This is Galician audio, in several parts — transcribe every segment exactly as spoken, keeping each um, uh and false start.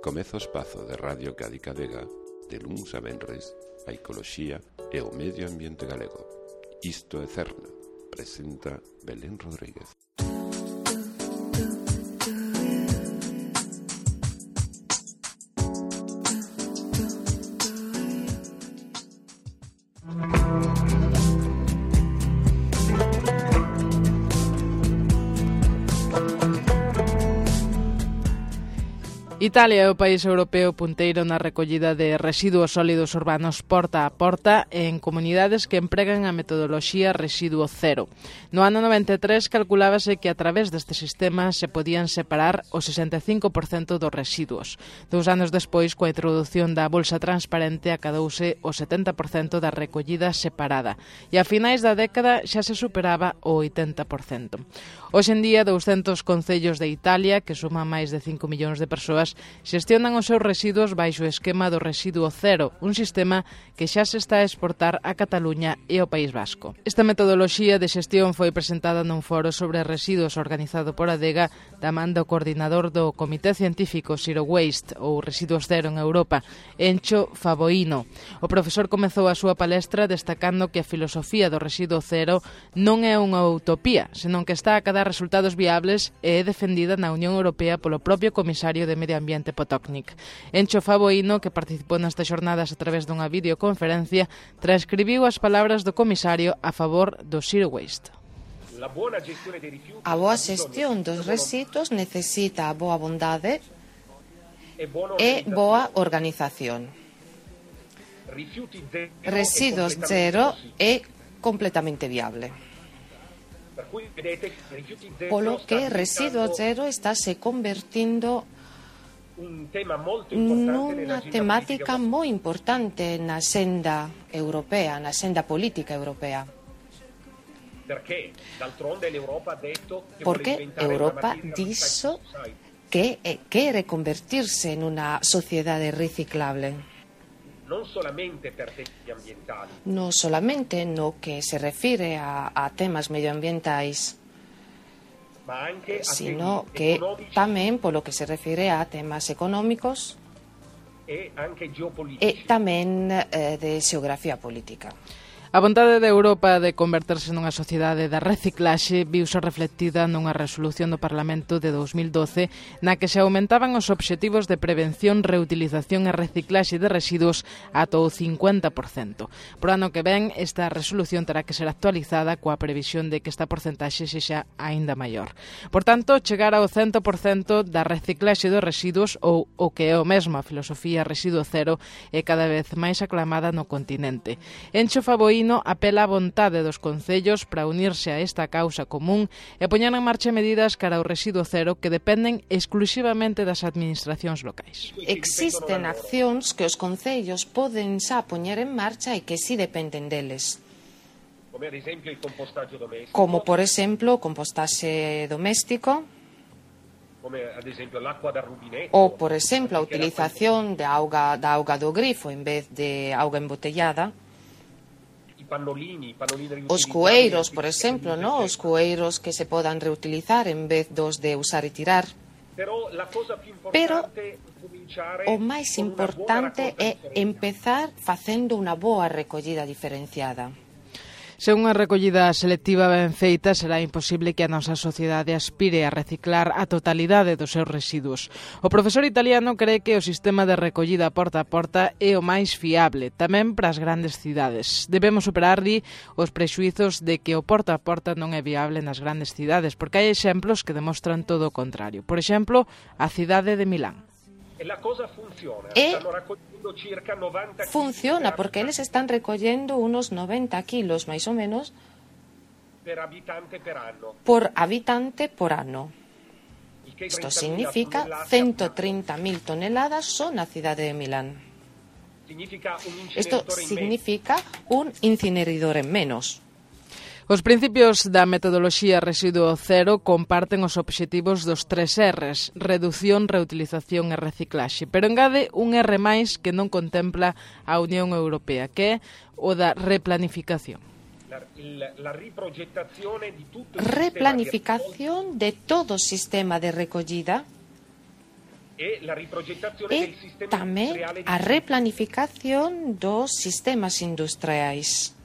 Comeza o espazo de Radio Cádiz Vega de luns a venres a ecoloxía e o medio ambiente galego. Isto é Cerna, presenta Belén Rodríguez. Italia é o país europeo punteiro na recollida de residuos sólidos urbanos porta a porta en comunidades que empregan a metodoloxía residuo cero. No ano noventa e tres calculábase que a través deste sistema se podían separar o sesenta e cinco por cento dos residuos. Dous anos despois, coa introdución da bolsa transparente, acadouse o setenta por cento da recollida separada e a finais da década xa se superaba o oitenta por cento. Hoxe en día, douscentos concellos de Italia, que suman máis de cinco millóns de persoas, xestionan os seus residuos baixo o esquema do residuo cero, un sistema que xa se está a exportar a Cataluña e ao País Vasco. Esta metodoloxía de xestión foi presentada nun foro sobre residuos organizado por Adega da man do coordinador do Comité Científico Zero Waste, ou Residuos Cero en Europa, Encho Favoino. O profesor comezou a súa palestra destacando que a filosofía do residuo cero non é unha utopía, senón que está a cadar resultados viables e é defendida na Unión Europea polo propio comisario de Medio Ambiente Potočnik. Encho Favoino, que participou nestas xornadas a través dunha videoconferencia, transcribiu as palabras do comisario a favor do Zero Waste. A boa xestión dos residuos necesita a boa bondade e boa organización. Residuos cero é completamente viable. Polo que residuo cero está se convertindo nunha temática moi importante na senda europea, na senda política europea. Porque Europa dixo que quere convertirse en unha sociedade reciclable. Non solamente no que se refire a, a temas medioambientais, sino que tamén polo que se refire a temas económicos e tamén eh, de xeografía política. A vontade de Europa de converterse nunha sociedade da reciclaxe viuse reflectida nunha resolución do Parlamento de dous mil doce na que se aumentaban os obxectivos de prevención, reutilización e reciclaxe de residuos ata o cincuenta por cento. Por ano que ven, esta resolución terá que ser actualizada coa previsión de que esta porcentaxe sexa aínda maior. Por tanto, chegar ao cento por cento da reciclaxe dos residuos, ou o que é o mesmo a filosofía residuo cero, é cada vez máis aclamada no continente. Encho Favoino apela á vontade dos concellos para unirse a esta causa común e poñer en marcha medidas cara ao residuo cero que dependen exclusivamente das administracións locais. Existen accións que os concellos poden xa poñer en marcha e que si dependen deles. Como, por exemplo, o compostaxe doméstico, ou, por exemplo, a utilización de auga, da auga do grifo en vez de auga embotellada. Os cueiros, por exemplo, ¿no? Os cueiros que se podan reutilizar en vez dos de usar e tirar. Pero o máis importante é empezar facendo unha boa recollida diferenciada. Se unha recollida selectiva ben feita, será imposible que a nosa sociedade aspire a reciclar a totalidade dos seus residuos. O profesor italiano cree que o sistema de recollida porta a porta é o máis fiable, tamén para as grandes cidades. Debemos superarli os prexuizos de que o porta a porta non é viable nas grandes cidades, porque hai exemplos que demostran todo o contrario. Por exemplo, a cidade de Milán. E funciona porque eles están recollendo unos noventa kilos, máis ou menos, por habitante por ano. Isto significa ciento trinta mil toneladas só na cidade de Milán. Isto significa un incinerador en menos. Os principios da metodoloxía residuo cero comparten os obxectivos dos tres R's, reducción, reutilización e reciclaxe, pero engade un R máis que non contempla a Unión Europea, que é o da replanificación. Replanificación de todo o sistema de recollida e tamén a replanificación dos sistemas industriais.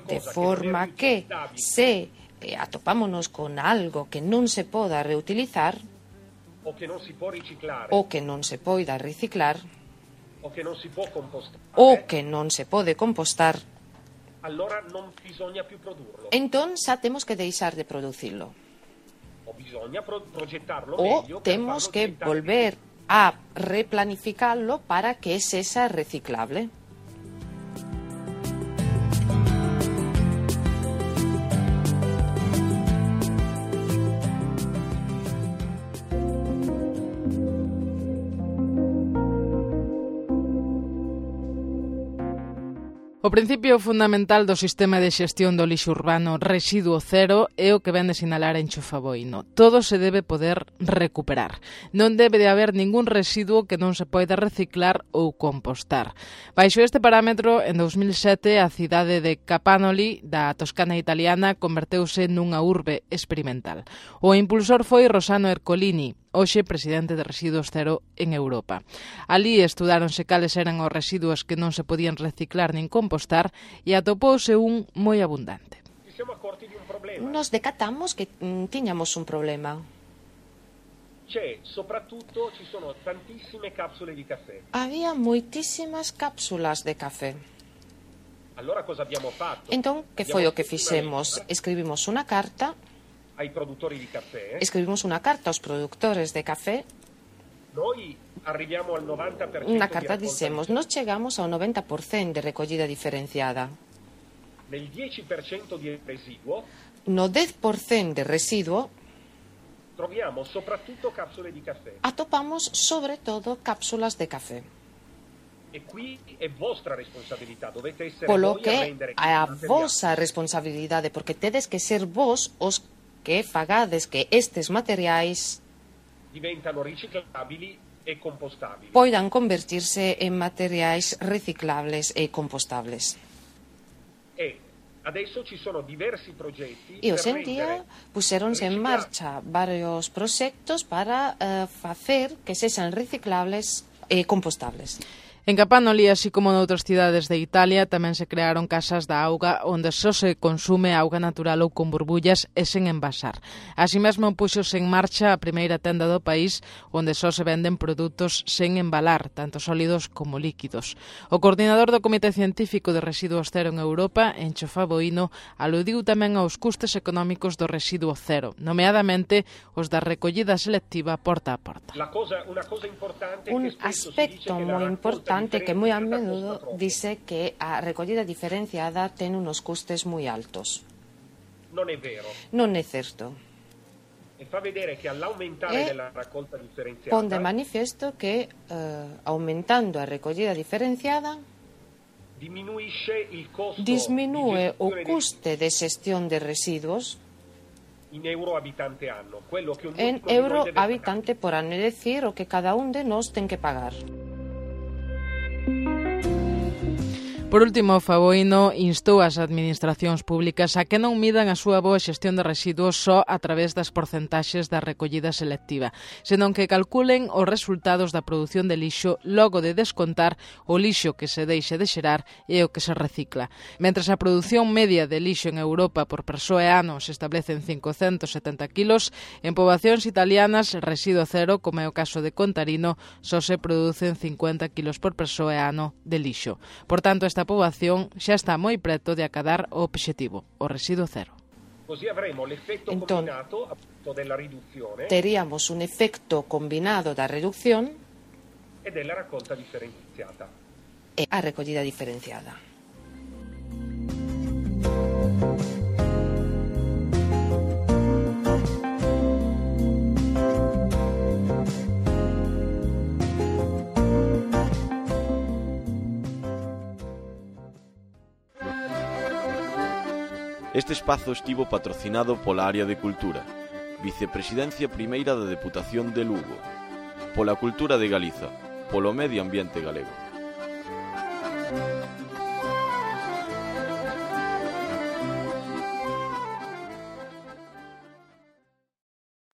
De forma que, se eh, atopámonos con algo que non se poda reutilizar, o que non si può riciclare, o que non se poida reciclar, o che non si può compostare, o che non se pode compostar, allora non bisogna più produrlo. entón xa temos que deixar de producirlo. O bisogna pro- progettarlo O meglio per temos farlo que diventare volver a replanificarlo para que sexa reciclable. O principio fundamental do sistema de xestión do lixo urbano residuo cero é o que vén de sinalar Encho Faboino. Todo se debe poder recuperar. Non debe de haber ningún residuo que non se poida reciclar ou compostar. Baixo este parámetro, en dous mil sete, a cidade de Capanoli, da Toscana italiana, converteuse nunha urbe experimental. O impulsor foi Rossano Ercolini, hoxe presidente de Residuos Cero en Europa. Alí estudáronse cales eran os residuos que non se podían reciclar nin compostar e atopouse un moi abundante. Nos decatamos que mm, tiñamos un problema. C'è, soprattutto ci sono tantissime capsule di caffè. Había moitísimas cápsulas de café. Allora cosa abbiamo fatto? Entón, que foi o que fixemos? Escribimos unha carta ai produttori di caffè. Escribimos unha carta aos produtores de café. Noi arriviamo al novanta per cento. Unha carta dicemos, nos chegamos ao noventa por cento de recollida diferenciada. Nel dieci per cento di residuo. No dez por cento de residuo troviamo soprattutto capsule di caffè. Atopamos sobre todo cápsulas de café. E qui è vostra responsabilità, dovete essere Polo voi a rendere que é a vosa responsabilidade, porque tedes que ser vos os que fagades que estes materiais diventano riciclabili e compostabili. poidan convertirse en materiais reciclables e compostables. E adesso ci sono diversi progetti E per hoxe en día puxeronse en marcha varios proxectos para uh, facer que sexan reciclables e compostables. En Capanoli, así como noutras cidades de Italia, tamén se crearon casas da auga onde só se consume auga natural ou con burbullas e sen envasar. Así mesmo puxose en marcha a primeira tenda do país onde só se venden produtos sen embalar, tanto sólidos como líquidos. O coordinador do Comité Científico de Residuos Cero en Europa, Encho Faboino, aludiu tamén aos custes económicos do residuo cero, nomeadamente os da recollida selectiva porta a porta. La cosa, una cosa importante Un que spesso si aspecto dice che moi la importante que moi a menudo dice que a recollida diferenciada ten unos custes moi altos. Non è vero. Non é certo. E fa vedere che all'aumentare E della raccolta differenziata pon de manifesto que eh, aumentando a recollida diferenciada diminuisce il costo disminúe di o gestione custe de xestión de residuos in euro abitante anno, quello che un en euro habitante por ano, é dicir, o que cada un de nós ten que pagar. Por último, Faboino instou as administracións públicas a que non midan a súa boa xestión de residuos só a través das porcentaxes da recollida selectiva, senón que calculen os resultados da produción de lixo logo de descontar o lixo que se deixe de xerar e o que se recicla. Mentres a produción media de lixo en Europa por persoa e ano se establece en cincocentos setenta kilos, en poboacións italianas residuo cero, como é o caso de Contarino, só se producen cincuenta kilos por persoa e ano de lixo. Por tanto, esta A poboación xa está moi preto de acadar o obxectivo, o residuo cero. Entón, teríamos un efecto combinado da reducción e della raccolta differenziata. E a recollida diferenciada. Este espazo estivo patrocinado pola Área de Cultura, Vicepresidencia Primeira da Deputación de Lugo, pola Cultura de Galiza, polo Medio Ambiente Galego.